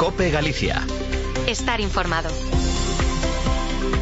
COPE Galicia. Estar informado.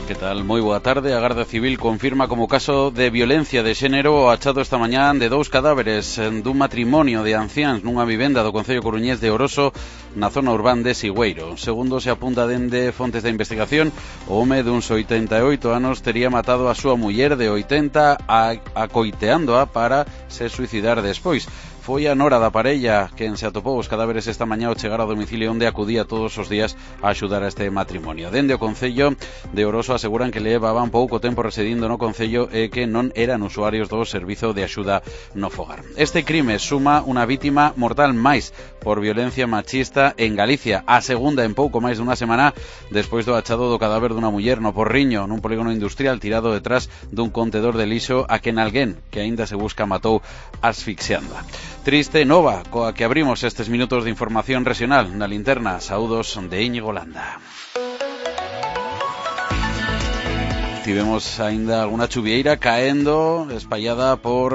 Que tal? Moi boa tarde. A Garda Civil confirma como caso de violencia de xénero o achado esta mañá de 2 cadáveres dun matrimonio de anciáns nunha vivenda do concello coruñés de Oroso na zona urbana de Sigüeiro. Segundo se apunta dende fontes de investigación, o home duns 88 anos tería matado a súa muller de 80 acoiteándoa para se suicidar despois. Foi a nora da parella quen se atopou os cadáveres esta mañá ao chegar ao domicilio onde acudía todos os días a axudar a este matrimonio. Dende o concello de Oroso aseguran que levaban pouco tempo residindo no concello e que non eran usuarios do servizo de axuda no fogar. Este crime suma unha vítima mortal máis por violencia machista en Galicia, a segunda en pouco máis dunha semana despois do achado do cadáver dunha muller no Porriño, nun polígono industrial tirado detrás dun contedor de lixo a quen alguén que aínda se busca matou asfixiándoa. Triste nova coa que abrimos estes minutos de información regional na linterna. Saúdos de Íñigo Landa. Tivemos aínda alguna chuvieira caendo espallada por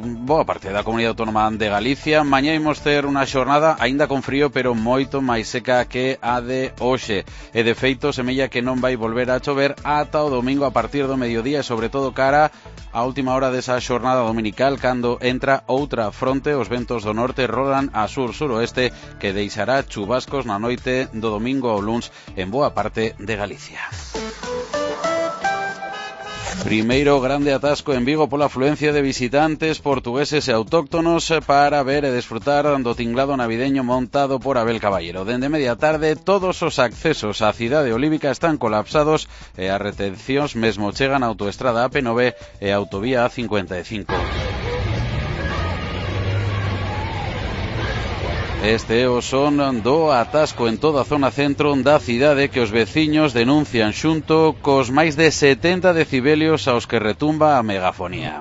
boa parte da comunidade autónoma de Galicia. Mañá imos ter unha xornada aínda con frío, pero moito máis seca que a de hoxe. E de feito semella que non vai volver a chover ata o domingo a partir do mediodía, e sobre todo cara a última hora desa xornada dominical, cando entra outra fronte. Os ventos do norte rolan a sur-suroeste, que deixará chubascos na noite do domingo ao luns en boa parte de Galicia. Primeiro grande atasco en Vigo pola afluencia de visitantes portugueses e autóctonos para ver e desfrutar do tinglado navideño montado por Abel Caballero. Dende media tarde todos os accesos á cidade olívica están colapsados e as retencións mesmo chegan a autoestrada AP9 e a autovía A55. Este é o son do atasco en toda a zona centro da cidade que os veciños denuncian xunto cos máis de 70 decibelios aos que retumba a megafonía.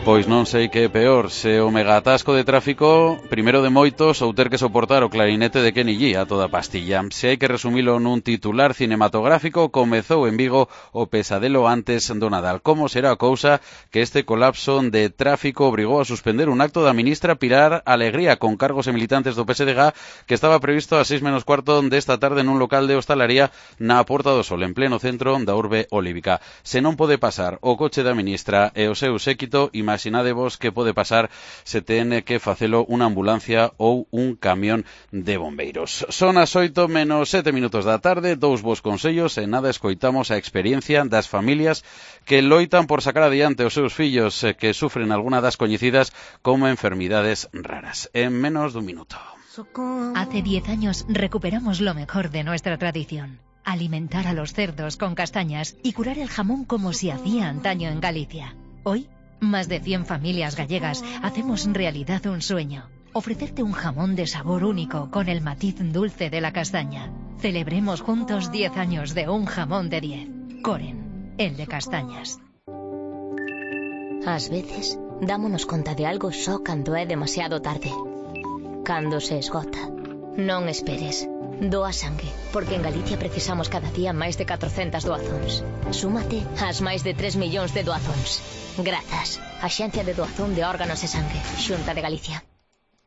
Pois non sei que é peor, se o megaatasco de tráfico, primeiro de moitos, ou ter que soportar o clarinete de Kenny G a toda pastilla. Se hai que resumilo nun titular cinematográfico, comezou en Vigo o pesadelo antes do Nadal. Como será a cousa que este colapso de tráfico obrigou a suspender un acto da ministra Pilar Alegría con cargos e militantes do PSDG que estaba previsto a 6:15 desta tarde nun local de hostalaría na Porta do Sol, en pleno centro da urbe olívica. Se non pode pasar o coche da ministra e o seu séquito, imaginadevos que pode pasar se ten que facelo unha ambulancia ou un camión de bombeiros. Son as 8:07 da tarde, dous vos consellos e nada escoitamos a experiencia das familias que loitan por sacar adiante os seus fillos que sufren alguna das coñecidas como enfermidades raras. En menos dun minuto. Hace 10 años recuperamos lo mejor de nuestra tradición. Alimentar a los cerdos con castañas y curar el jamón como se hacía antaño en Galicia. Hoy, más de 100 familias gallegas hacemos realidad un sueño. Ofrecerte un jamón de sabor único con el matiz dulce de la castaña. Celebremos juntos 10 años de un jamón de 10. Coren, el de castañas. Ás veces, dámonos conta de algo só cando é demasiado tarde. Cando se esgota. Non esperes. Doa sangue, porque en Galicia precisamos cada día máis de 400 doazóns. Súmate ás máis de 3 millóns de doazóns. Grazas. Axencia de Doazón de Órganos e Sangue, Xunta de Galicia.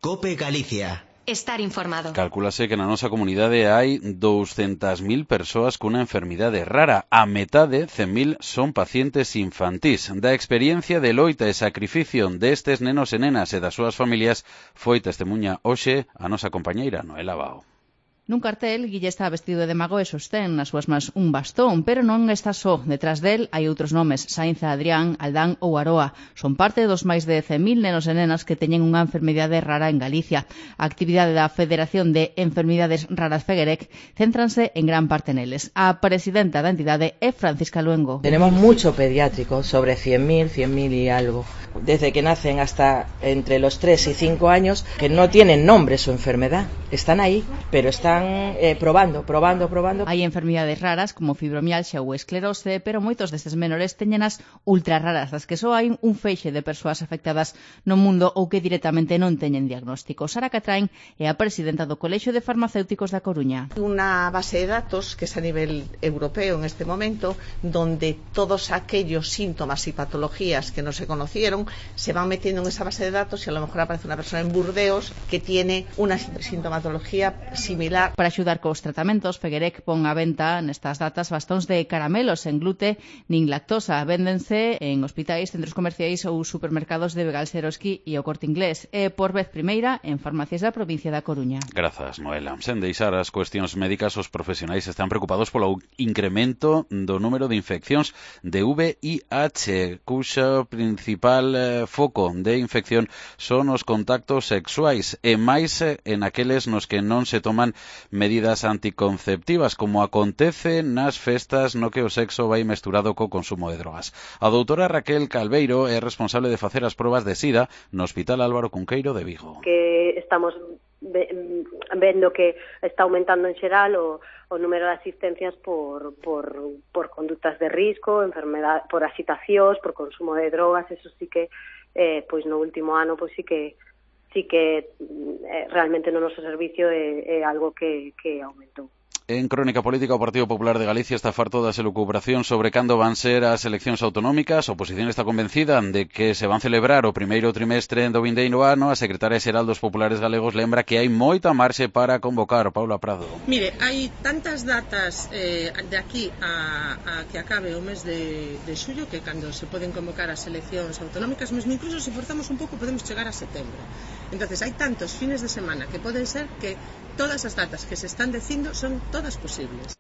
COPE Galicia. Estar informado. Calculase que na nosa comunidade hai 200.000 persoas cunha enfermidade rara. A metade, 100.000, son pacientes infantís. Da experiencia de loita e sacrificio destes nenos e nenas e das súas familias foi testemunha hoxe a nosa compañeira Noela Bao. Nun cartel, Guille está vestido de mago e sostén nas súas mans un bastón, pero non está só. Detrás del hai outros nomes, Sainza, Adrián, Aldán ou Aroa. Son parte dos máis de 100.000 nenos e nenas que teñen unha enfermidade rara en Galicia. A actividade da Federación de Enfermidades Raras Fegerec céntranse en gran parte neles. A presidenta da entidade é Francisca Luengo. Tenemos mucho pediátrico, sobre 100.000 y algo. Desde que nacen hasta entre los 3 y 5 años, que no tienen nombre su enfermedad. Están ahí, pero están probando. Hai enfermidades raras como fibromialgia ou esclerose, pero moitos destes menores teñenas ultra raras, das que só hai un feixe de persoas afectadas no mundo ou que directamente non teñen diagnóstico. Sara Catrain é a presidenta do Colexio de Farmacéuticos da Coruña. Una base de datos que es a nivel europeo en este momento, donde todos aquellos síntomas y patologías que no se conocieron investigación se van metiendo en esa base de datos y a lo mejor aparece una persona en Burdeos que tiene una sintomatología similar. Para axudar cos tratamentos, Feguerec pon á venta nestas datas bastóns de caramelos sen glute nin lactosa. Véndense en hospitais, centros comerciais ou supermercados de Begalseroski e o Corte Inglés. E por vez primeira en farmacias da provincia da Coruña. Grazas, Noela. Sen deixar as cuestións médicas, os profesionais están preocupados polo incremento do número de infeccións de VIH, cuxa principal foco de infección son os contactos sexuais e máis en aqueles nos que non se toman medidas anticonceptivas, como acontece nas festas no que o sexo vai mesturado co consumo de drogas. A doutora Raquel Calveiro é responsable de facer as probas de SIDA no Hospital Álvaro Cunqueiro de Vigo. Que estamos vendo que está aumentando en xeral o número de asistencias por conductas de risco, enfermedade, por agitacións, por consumo de drogas. Eso sí que pois no último ano pois sí que realmente no noso servicio é algo que aumentou. En Crónica Política, o Partido Popular de Galicia está farto das elucubracións sobre cando van ser as eleccións autonómicas. A oposición está convencida de que se van celebrar o primeiro trimestre do vindeiro ano. A secretaria xeral dos Populares Galegos lembra que hai moita marxe para convocar. Paula Prado. Mire, hai tantas datas de aquí a que acabe o mes de xullo que cando se poden convocar as eleccións autonómicas, mesmo incluso se forzamos un pouco podemos chegar a setembro. Entonces hai tantos fines de semana que poden ser que todas as datas que se están dicindo son todas posibles.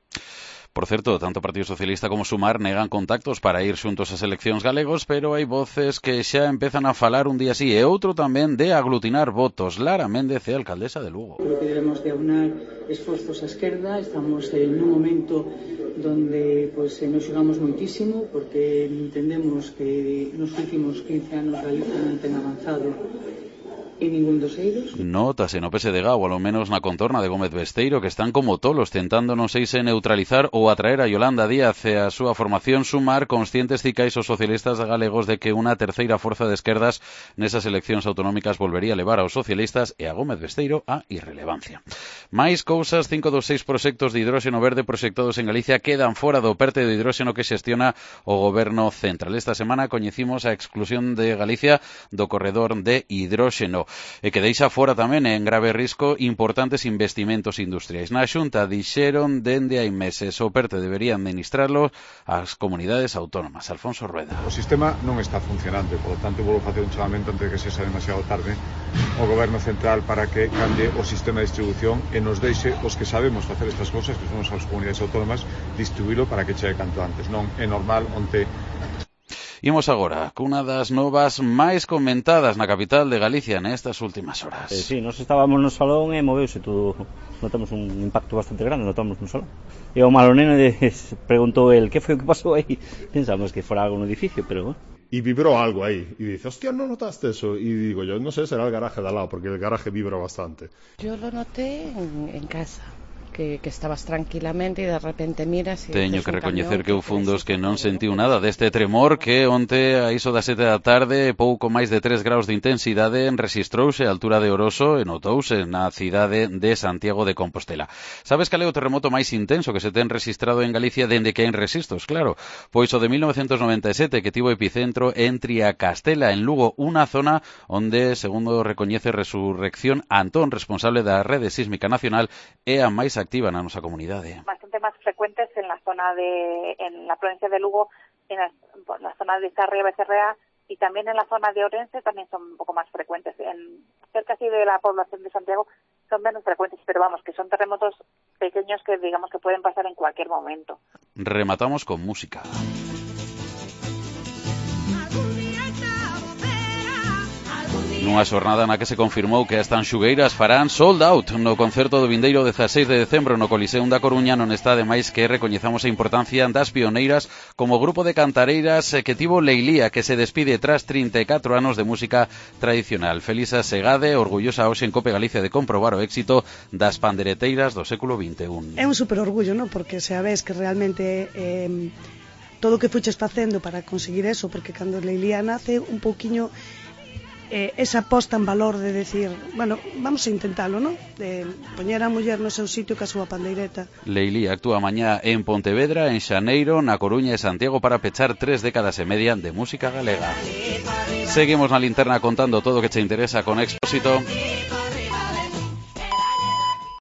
Por certo, tanto o Partido Socialista como Sumar negan contactos para ir xuntos ás eleccións galegos, pero hai voces que xa empezan a falar un día así e outro tamén de aglutinar votos. Lara Méndez é alcaldesa de Lugo. Creo que debemos de aunar esforzos á esquerda. Estamos en un momento donde nos xogamos moitísimo porque entendemos que nos últimos 15 anos Galicia non ten avanzado en ningún dos eidos. Nótase no PSDG, ou ao menos na contorna de Gómez Besteiro, que están como tolos tentando non sei se neutralizar ou atraer a Yolanda Díaz e a súa formación Sumar, conscientes cicais os socialistas galegos de que unha terceira forza de esquerdas nesas eleccións autonómicas volvería a levar aos socialistas e a Gómez Besteiro a irrelevancia. Mais cousas, 5 dos 6 proxectos de hidróxeno verde proxectados en Galicia quedan fora do perte de hidróxeno que xestiona o goberno central. Esta semana coñecimos a exclusión de Galicia do corredor de hidróxeno e que deixa fora tamén en grave risco importantes investimentos industriais. Na Xunta dixeron dende hai meses o PERTE debería administrarlo as comunidades autónomas. Alfonso Rueda. O sistema non está funcionando, por lo tanto vou facer un chamamento antes de que sexa demasiado tarde ao goberno central para que cambie o sistema de distribución e nos deixe os que sabemos facer estas cousas, que son as comunidades autónomas, distribuílo para que chegue canto antes. Non é normal onte. Imos agora cunha das novas máis comentadas na capital de Galicia nestas últimas horas. Sí, nos estábamos no salón e moveuse todo. Notamos un impacto bastante grande, notamos no salón. E o malo neno preguntou el, que foi o que pasou aí? Pensamos que fora algo no edificio, pero bueno. Y vibró algo ahí, y dice, hostia, ¿no notaste eso? Y digo yo, no sé, será el garaje de al lado, porque el garaje vibra bastante. Yo lo noté en casa. Que estabas tranquilamente e de repente miras e teño que recoñecer que eu fun dos que non sentiu nada deste tremor que onte a iso das 7 da tarde pouco máis de 3 graus de intensidade rexistrouse a altura de Oroso e notouse na cidade de Santiago de Compostela. Sabes cal é o terremoto máis intenso que se ten registrado en Galicia dende que hai registros? Claro, pois o de 1997 que tivo epicentro en Triacastela, en Lugo, unha zona onde, segundo recoñece Resurrección Antón, responsable da Rede Sísmica Nacional, é a máis activa na nosa comunidade. Bastante más frecuentes en la la provincia de Lugo, en la zona de Sarria, Becerrea y también en la zona de Orense también son un poco más frecuentes. Cerca así de la población de Santiago son menos frecuentes, pero vamos, que son terremotos pequeños que digamos que pueden pasar en cualquier momento. Rematamos con música. Nunha xornada na que se confirmou que as Tanxugueiras farán sold out no concerto do vindeiro 16 de decembro no Coliseum da Coruña, non está ademais que recoñezamos a importancia das pioneiras como grupo de cantareiras que tivo Leilía, que se despide tras 34 anos de música tradicional. Felisa Segade, orgullosa hoxe en Cope Galicia de comprobar o éxito das pandereteiras do século XXI. É un super orgullo, non? Porque se a ves que realmente todo o que fuches facendo para conseguir eso, porque cando Leilía nace un pouquiño esa posta en valor de decir, bueno, vamos a intentalo, ¿no? De poñer a muller no seu sitio ca súa pandeireta. Leilí actúa mañá en Pontevedra, en Xaneiro, na Coruña e Santiago para pechar 3 décadas e media de música galega. Seguimos na linterna contando todo o que che interesa con Expósito.